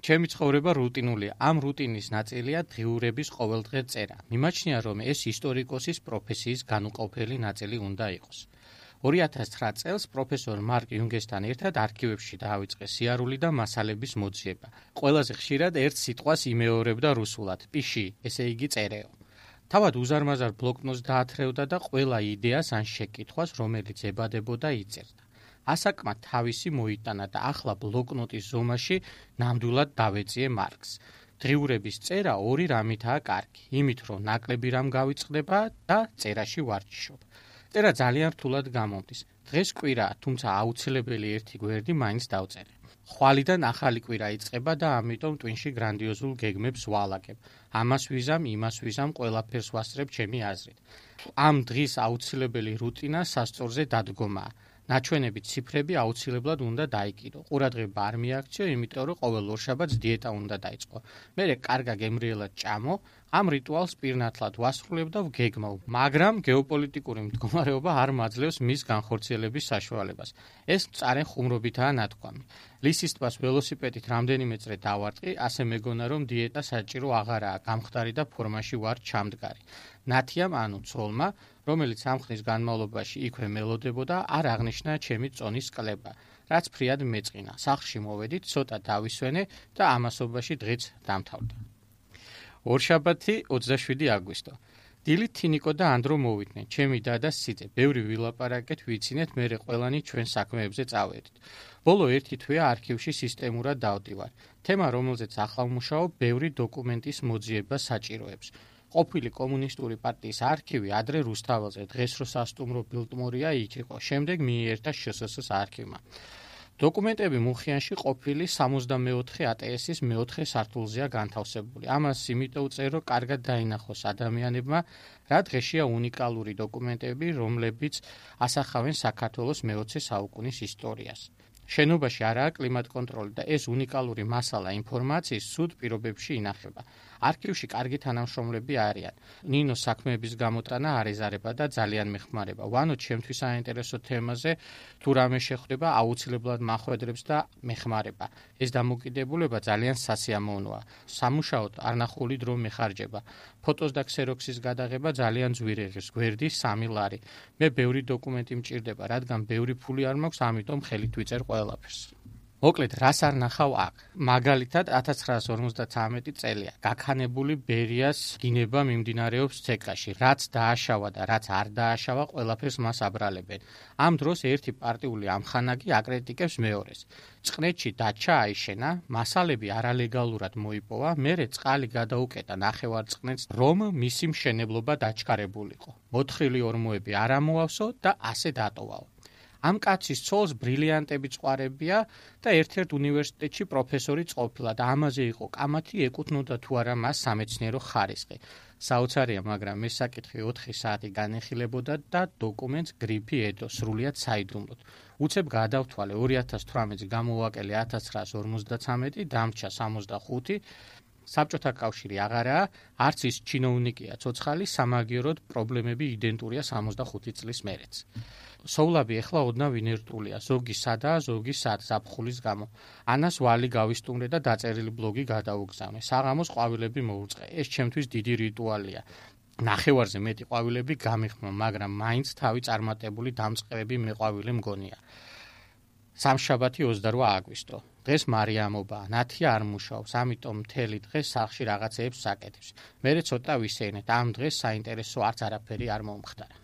ჩემი ცხოვრება რუტინულია. ამ რუტინის ნაწილია დღიურების ყოველდღე წერა. მიმაჩნია, რომ ეს ისტორიკოსის პროფესიის განუყოფელი ნაწილი უნდა იყოს. 2009 წელს პროფესორ მარკ იუნგესთან ერთად არქივებში დაავიწყე სიარული და მასალების მოძიება. ყველაზე ხშირად ერთ სიტყვას იმეორებდა რუსულად, პიში, ესე იგი წერეო. თავად უზარმაზარ ბლოკნოტს დაათრევდა და ყველა იდეას ან შეკითხვას, რომელიც ებადებოდა, იწერდა. ასაკმა თავისი მოიტანა და ახლა ბლოკნოტის ზომაში ნამდვილად დავეწიე მარკს. დღიურების წერა ორი რამითაა კარგი, იმით რომ ნაკლები რამ გავიწყდება და წერაში ვარჯიშობ. წერა ძალიან რთულად გამომდის. დღეს კვირაა, თუმცა აუცილებელი ერთი გვერდი მაინც დავწერე. ხვალიდან ახალი კვირა იწყება და ამიტომ ტვინში გრანდიოზულ გეგმებს ვალაგებ. ამას ვიზამ, იმას ვიზამ, ყველაფერს ვასწრებ ჩემი აზრით. ამ დღის აუცილებელი რუტინა სასწორზე დადგომაა. ნაჩვენები ციფრები აუცილებლად უნდა დაიკიდო. ყურადღება არ მიაქციო, იმიტომ რომ ყოველ ორშაბათს დიეტა უნდა დაიწყო. მერე კარგა გემრიელად ჭამო, ამ რიტუალს პირნათლად ვასრულებ და ვგეგმავ, მაგრამ გეოპოლიტიკური მდგომარეობა არ მაძლევს მის განხორციელების საშუალებას. ეს მწარე ხუმრობითაა ნათქვამი. ლისის ტბას ველოსიპედით რამდენიმე წრე დავარტყი, ასე მეგონა რომ დიეტა საჭირო აღარაა, გამხდარი და ფორმაში ვარ ჩამდგარი. ნათიამ ანუ ცოლმა, რომელიც ამ ხნის განმავლობაში იქვე მელოდებოდა, არ აღნიშნა ჩემი წონის კლება, რაც ფრიად მეწყინა. სახლში მოვედით, ცოტა დავისვენე და ამასობაში დღეც დამთავრდა. ორშაბათი 27 აგვისტო. დილით თინიკო და ანდრო მოვიდნენ, ჩემი და და სიძე. ბევრი ვილაპარაკეთ, ვიცინეთ, მერე ყველანი ჩვენ საქმეებზე წავედით. ბოლო ერთი თვეა არქივში სისტემურად დავდივარ. თემა, რომელზეც ახლა ვმუშაობ, ბევრი დოკუმენტის მოძიება საჭიროებს. ყოფილი კომუნისტური პარტიის არქივი ადრე რუსთაველზე, დღეს რო სასტუმრო ბილტმორია იქ იყო, შემდეგ მიიერთა შსს არქივმა. დოკუმენტები მუხიანში ყოფილი 64 ATS-ის მეოთხე სართულზეა განთავსებული. ამას იმიტომ ვწერ, რომ კარგად დაინახოს ადამიანებმა, რა დღეშია უნიკალური დოკუმენტები, რომლებიც ასახავენ საქართველოს მე-20 საუკუნის ისტორიას. შენობაში არაა კლიმატ კონტროლი და ეს უნიკალური მასალა ინფორმაციის სუდ პირობებში ინახება. არქივში კარგი თანამშრომლები არიან. ნინოს საქმეების გამოტანა არ ეზარება და ძალიან მეხმარება. ვანო ჩემთვის საინტერესო თემაზე თუ რამე შეხვდება, აუცილებლად მახვედრებს და მეხმარება. ეს დამოკიდებულება ძალიან სასიამოვნოა. სამუშაოდ არნახული დრო მეხარჯება. ფოტოს და ქსეროქსის გადაღება ძალიან ძვირიღებს, გვერდი 3 ლარი. მე ბევრი დოკუმენტი მჭირდება, რადგან ბევრი ფული არ მაქვს, ამიტომ ხელით ვიწერ ყველაფერს. მოკლედ, რას არ ნახავ აქ? მაგალითად, 1953 წელია. გაქანებული ბერიას გინება მიმდინარეობს ცეკაში. რაც დააშავა და რაც არ დააშავა, ყველაფერს მას აბრალებენ. ამ დროს ერთი პარტიული ამხანაგი აკრიტიკებს მეორეს. წყნეთში დაჩა აიშენა, მასალები არალეგალურად მოიპოვა, მერე წყალი გადაუკეტა ნახევარწყნეთს, რომ მისი მშენებლობა დაჩქარებულიყო. მოთხრილი ორმოები არ ამოავსო და ასე დატოვაო. ამ კაცის ცოლს ბრილიანტები წვარებია და ერთ-ერთ უნივერსიტეტში პროფესორი ყოფილა და ამაზე იყო კამათი, ეკუთვნოდა თუ არა მას სამეცნიერო ხარისხი. საოცარია, მაგრამ ეს საკითხი 4 საათი განეხილებოდა და დოკუმენტს გრიფი ედო, სრულიად საიდუმლოდ. უცებ გადავთვალე 2018-ს გამოვაკელე 1953, დამრჩა 65. საბჭოთა კავშირი აღარაა, არც ის ჩინოვნიკია ცოცხალი, სამაგიეროდ პრობლემები იდენტურია 65 წლის მერეც. სოვლაბი ეხლა ოდნავ ინერტულია, ზოგი სადაა, ზოგი სად ზაფხულის გამო. ანას ვალი გავისტუმრე და დაწერილი ბლოგი გადაუგზავნე. საღამოს ყვავილები მოუწყე. ეს ჩემთვის დიდი რიტუალია. ნახევარზე მეტი ყვავილები გამიხმო, მაგრამ მაინც თავი წარმატებული დამწყებები მეყვავილი მგონია. სამშაბათი 28 აგვისტო. დღეს მარიამობაა, ნათია არ მუშაობს, ამიტომ მთელი დღე სახლში რაღაცეებს საკეთებს. მერე ცოტა ვისეინეთ, ამ დღეს საინტერესო არც არაფერი არ მომხდარა.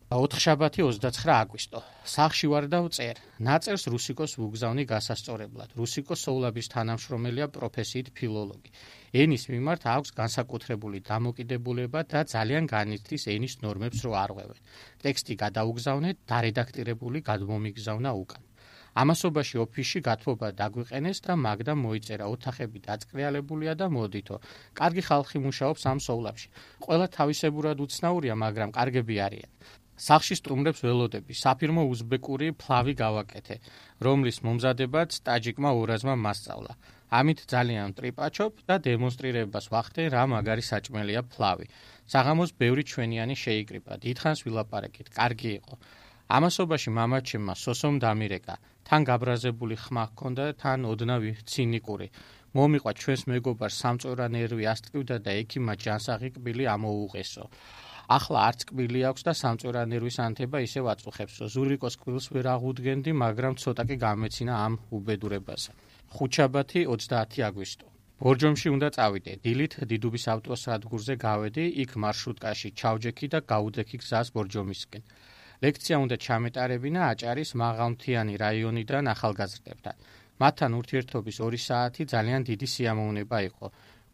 4 შაბათი 29 აგვისტო. სახლში ვარ და ვწერ. ნაწერს რუსიკოს ვუგზავნი გასასწორებლად. რუსიკო სოვლაბის თანამშრომელია, პროფესიით ფილოლოგი. ენის მიმართ აქვს განსაკუთრებული დამოკიდებულება და ძალიან განიცდის ენის ნორმებს რო არღვევენ. ტექსტი გადაუგზავნე, დარედაქტირებული გადმომიგზავნა უკან. ამასობაში ოფისში გათბობა დაგვიყენეს და მაგდა მოიწერა, ოთახები დაწყრიალებულია და მოდითო. კარგი ხალხი მუშაობს ამ სოვლაბში. ყველა თავისებურად უცნაურია, მაგრამ კარგები არიან. სახლში სტუმრებს ველოდები, საფირმო უზბეკური ფლავი გავაკეთე, რომლის მომზადებაც ტაჯიკმა ორაზმა მასწავლა. ამით ძალიან ტრიპაჩობ და დემონსტრირებას ვახდე, რა მაგარი საჭმელია ფლავი. საღამოს ბევრი ჩვენიანი შეიკრიბა, დიდხანს ვილაპარაკეთ, კარგი იყო. ამასობაში მამაჩემმა სოსომ დამირეკა. თან გაბრაზებული ხმა ჰქონდა, თან ოდნავ ცინიკური. მომიყვა ჩვენს მეგობარს სამწორა ნერვი ასტკივდა და ექიმმა ჯანსაღი კბილი ამოუღესო. ახლა არც კბილი აქვს და სამწორა ნერვის ანთება ისევ აწუხებსო. ზურიკოს კბილს ვერ აღუდგენდი, მაგრამ ცოტა კი გამეცინა ამ უბედურებასა. ხუთშაბათი 30 აგვისტო. ბორჯომში უნდა წავიდე. დილით დიდუბის ავტოსადგურზე გავედი, იქ მარშრუტკაში ჩავჯექი და გაუდექი გზას ბორჯომისკენ. ლექცია უნდა ჩამეტარებინა აჭარის მაღალმთიანი რაიონიდან ახალგაზრდებთან. მათთან ურთიერთობის 2 საათი ძალიან დიდი სიამოვნება იყო.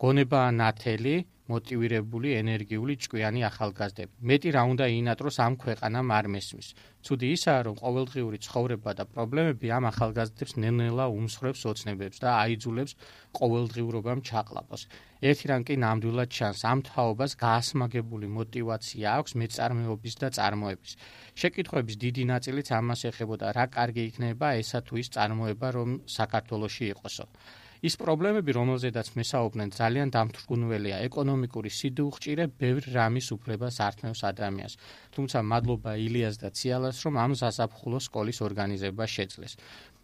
გონებაა ნათელი, მოტივირებული, ენერგიული, ჭკვიანი ახალგაზრდები. მეტი რა უნდა ინატროს ამ ქვეყანამ არ მესმის. ცუდი ისაა, რომ ყოველდღიური ცხოვრება და პრობლემები ამ ახალგაზრდებს ნელ-ნელა უმსხვრევს ოცნებებს და აიძულებს ყოველდღიურობამ ჩაყლაპოს. ერთი რამ კი ნამდვილად ჩანს, ამ თაობას გაასმაგებული მოტივაცია აქვს მეწარმეობის და წარმოების. შეკითხვების დიდი ნაწილიც ამას ეხებოდა, რა კარგი იქნება ესა თუ ის წარმოება, რომ საქართველოში იყოსო. ის პრობლემები, რომელზედაც მესაუბრნენ, ძალიან დამთრგუნველია. ეკონომიკური სიდუხჭირე ბევრ რამის უფლებას ართმევს ადამიანს. თუმცა მადლობა ილიას და ციალას, რომ ამ საზაფხულო სკოლის ორგანიზება შეძლეს.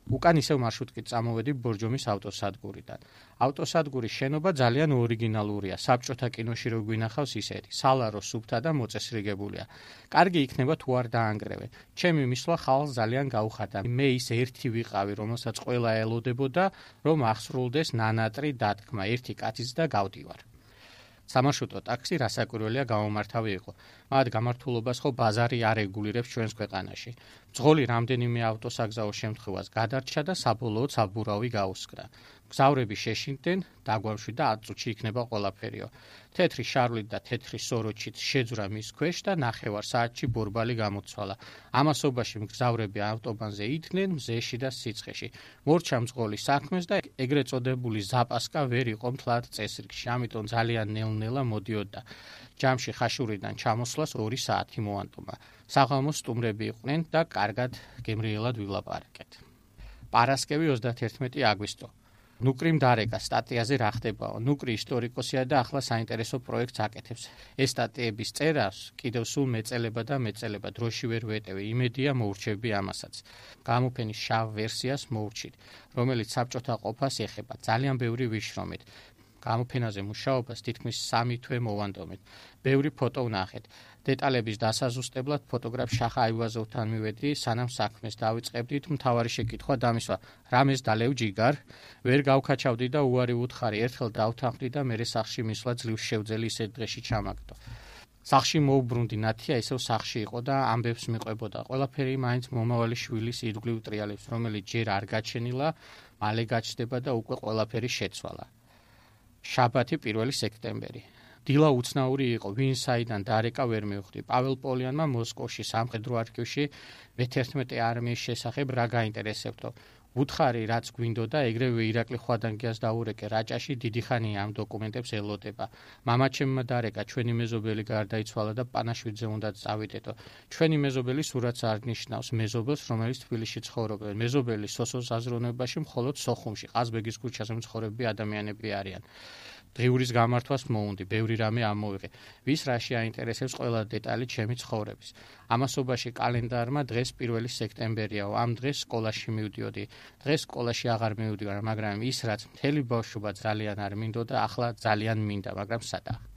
უკან ისევ მარშრუტკით წამოვედი ბორჯომის ავტოსადგურიდან. ავტოსადგურის შენობა ძალიან ორიგინალურია. საბჭოთა კინოში რო გვინახავს ისეთი. სალარო, სუფთა და მოწესრიგებულია. კარგი იქნება თუ არ დაანგრევენ. ჩემი მისვლა ხალხს ძალიან გაუხარდა. მე ის ერთი ვიყავი, რომელსაც ყველა ელოდებოდა, რომ აღსრულდეს ნანატრი დათქმა. ერთი კაციც და გავდივარ. სამარშრუტო ტაქსი რასაკვირველია გამომართავი იყო. მათ გამართულობას ხო ბაზარი არ რეგულირებს ჩვენს ქვეყანაში. მძღოლი რამდენიმე ავტოსაგზაო შემთხვევას გადარჩა და საბოლოოდ საბურავი გაუსკრა. მგზავრები შეშინდნენ, დაგვამშვი და 10 წუთში იქნება ყველაფერიო. თეთრი შარვლით და თეთრი სოროჩით შეძვრა მის ქვეშ და 9 საათში ბორბალი გამოცვალა. ამასობაში მგზავრები ავტობანზე იდგნენ მზეში და სიცხეში. მორჩა მძღოლი საქმეს და ეგრეთ წოდებული ზაპასკა ვერ იყო მთლად წესრიგში, ამიტომ ძალიან ნელ-ნელა მოდიოდა. ჯამში ხაშურიდან ჩამოსვლას 2 საათი მოანტომა. საღამოს სტუმრები იყვნენ და კარგად გემრიელად ვილაპარაკეთ. პარასკევი 31 აგვისტო. ნუკრიმ დარეკა სტატიაზე რა ხდებაო. ნუკრი ისტორიკოსია და ახლა საინტერესო პროექტს აკეთებს. ეს სტატიების წერას კიდევ სულ მეწელება და მეწელება, დროში ვერ ვეტევი, იმედია მოურჩევი ამასაც. გამოფენის შავ ვერსიას მოურჩით, რომელიც საბჭოთა ყოფას ეხება, ძალიან ბევრი ვიშრომით. გამოფენაზე მუშაობას თითქმის 3 თვე მოვანდომეთ. ბევრი ფოტო ვნახეთ. დეტალების დასაზუსტებლად ფოტოგრაფ შახა აივაზოვთან მივედი, სანამ საქმეს დავიწყებდით, მთავარი შეკითხვა დამისვა, რამეს დალევ ჯიგარ, ვერ გავქაჩავდი და უარი უთხარი, ერთხელ დავთანხმდი და მერე სახლში მისვლა ძლივს შევძელი ისეთ დღეში ჩამაგდო. სახლში მოუბრუნდი, ნათია ისევ სახლში იყო და ამბებს მიყვებოდა. ყველაფერი მაინც მომავალი შვილის ირგვლივ ტრიალებს, რომელიც ჯერ არ გაჩენილა, მალე გაჩნდება და უკვე ყველაფერი შეცვალა. შაბათი 1 სექტემბერი. დილა უცნაური იყო, ვინ საიდან დარეკა ვერ მივხვდი. პაվել პოლიანმა მოსკოვში სამხედრო არქივში მე-11 არმიის შესახებ რა გაინტერესებდო. უთხარი რაც გვინდოდა, ეგრევე ირაკლი ხვადანგიას დაურეკე, რაჭაში დიდი ხანია ამ დოკუმენტებს ელოდება. მამაჩემმა დარეკა, ჩვენი მეზობელი გარდაიცვალა და პანაშვიდზე უნდა წავიდეთო. ჩვენი მეზობელი სურათს არ ნიშნავს მეზობელს, რომელიც თბილისში ცხოვრობენ. მეზობელი სოსოს აზროვნებაში მხოლოდ სოხუმში, ყაზბეგის ქუჩაზე მცხოვრები ადამიანები არიან. დღიურის გამართვას მოუნდი, ბევრი რამე ამოვიღე. ვის რაში აინტერესებს ყველა დეტალი ჩემი ცხოვრების. ამასობაში კალენდარმა დღეს 1 სექტემბერიაო, ამ დღეს სკოლაში მივდიოდი. დღეს სკოლაში აღარ მივდივარ, მაგრამ ის რაც მთელი ბავშვობა ძალიან არ მინდოდა, ახლა ძალიან მინდა, მაგრამ სადა.